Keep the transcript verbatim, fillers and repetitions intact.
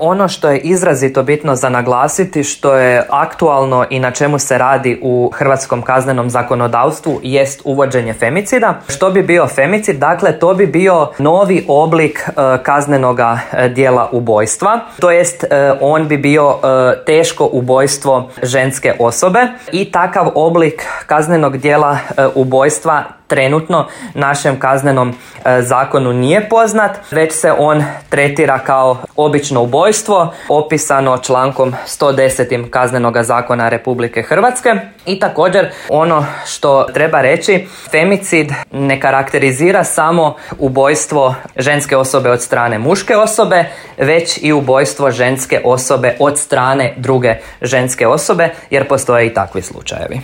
Ono što je izrazito bitno za naglasiti, što je aktualno i na čemu se radi u hrvatskom kaznenom zakonodavstvu, jest uvođenje femicida. Što bi bio femicid? Dakle, to bi bio novi oblik e, kaznenoga e, dijela ubojstva, to jest e, on bi bio e, teško ubojstvo ženske osobe i takav oblik kaznenog dijela e, ubojstva trenutno našem kaznenom e, zakonu nije poznat, već se on tretira kao obično ubojstvo, opisano člankom sto deset Kaznenoga zakona Republike Hrvatske. I također ono što treba reći, femicid ne karakterizira samo ubojstvo ženske osobe od strane muške osobe, već i ubojstvo ženske osobe od strane druge ženske osobe, jer postoje i takvi slučajevi.